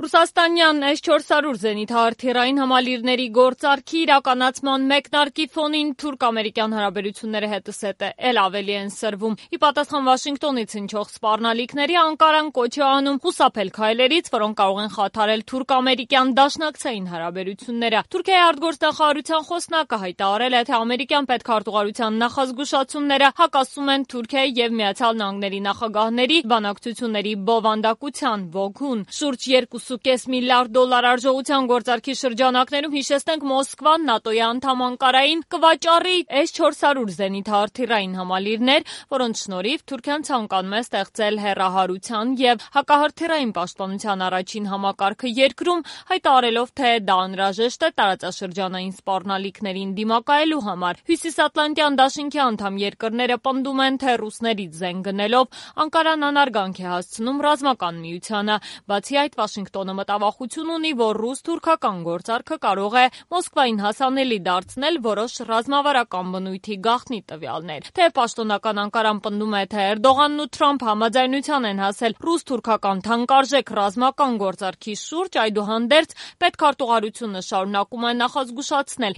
Ռուսաստանյան S-400 զենիթահրթիռային համալիրների գործարքի իրականացման մեկնարկի ֆոնին թուրք-ամերիկյան հարաբերությունները հետզհետե էլ ավելի են սրվում։ Ի պատասխան Վաշինգտոնից հնչող սպառնալիքների Անկարան կոչ է անում խուսափել քայլերից, որոնք կարող են խաթարել թուրք-ամերիկյան դաշնակցային հարաբերությունները։ Թուրքիայի արտգործնախարարության խոսնակը հայտարարել է, թե ամերիկյան պետքարտուղարության նախազգուշացումները հակասում են Թուրքիայի եւ Միացյալ Նահանգների նախագահների բանակցությունների բովանդակության ոգուն։ Շուրջ 2.5 միլիարդ դոլար արժողության գործարքի շրջանակներում, հիշեցնենք, Մոսկվան ՆԱՏՕ-ի անդամ Անկարային կվաճառի S-400 զենիթահրթիռային համալիրներ, որոնց շնորհիվ Թուրքիան ցանկանում է ստեղծել հեռահարության եւ հակահրթիռային պաշտպանության առաջին համակարգը երկրում, հայտարարելով, թե դա անհրաժեշտ է տարածաշրջանային սպառնալիքներին դիմակայելու համար։ Հյուսիսատլանտյան դաշինքի անդամ երկրները պնդում են, թե ռուսներից զենք գնելով Անկարան անարգանք է հասցնում ռազմական միությանը։ Բացի այդ, Վաշինգտոնը մտավախություն ունի, որ ռուս-թուրքական գործարքը կարող է Մոսկվային հասանելի դարձնել որոշ ռազմավարական բնույթի գաղտնի տվյալներ։ Թե պաշտոնական Անկարան պնդում է, թե Էրդողանն ու Թրամփը համաձայնության են հասել ռուս-թուրքական թանկարժեք ռազմական գործարքի շուրջ, այդուհանդերձ պետքարտուղարությունը շարունակում է նախազգուշացնել.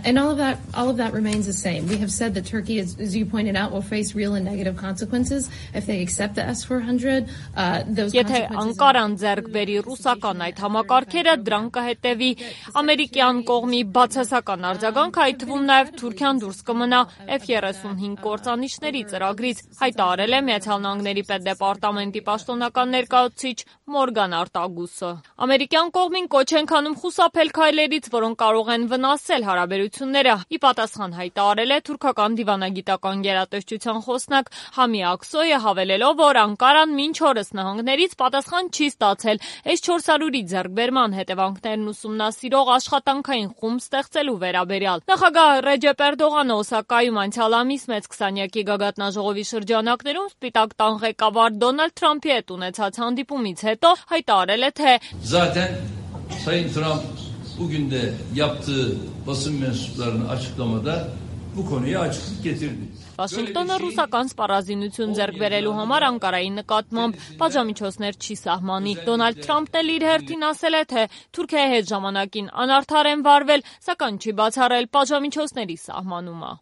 And all of that remains the same. We have said that Turkey, as you pointed out, will face real and negative consequences if they accept the S-400. Եթե Անկարան ձեռք բերի ռուսական այդ համակարգերը, դրան կհետևի ամերիկյան կողմի բացասական արձագանք, այդ թվում նաև Թուրքիան դուրս կմնա F-35 կործանիչների ծրագրից, հայտարարել է Միացյալ Նահանգների պետդեպարտամենտի պաշտոնական ներկայացուցիչ Մորգան Արտագուսը։ Ամերիկյան կողմին կոչ են անում խուսափել քայլերից, որոնք կարող են վնասել հարաբերությունները։ Ի պատասխան հայտարարել է թուրքական դիվանագիտական գերատեսչության խոսնակ Համի Ակսոյը, հավելելով, որ Անկարան մինչ օրս նահանգներից պատասխան չի ստացել S-400-ի ձեռքբերման հետևանքներն ուսումնասիրող աշխատանքային խումբ ստեղծելու վերաբերյալ։ Նախագահ Ռեջեփ Էրդողանը Օսակայում անցյալ ամիս մեծ 20-յակի գագաթնաժողովի շրջանակներում Սպիտակ տան ղեկավար Դոնալդ Թրամփի հետ ունեցած հանդիպումից հետո հայտարարել է, թե Zaten Sayın Trump bugün de yaptığı basın mensuplarının açıklamada bu konuya açıklık getirdi. Վաշինգտոնը ռուսական սպառազինություն ձեռք բերելու համար Անկարայի նկատմամբ պատժամիջոցներ չի սահմանի։ Դոնալդ Թրամփն էլ իր հերթին ասել է, թե Թուրքիայի հետ ժամանակին անարդար են վարվել, սակայն չի բացառել պատժամիջոցների սահմանումը։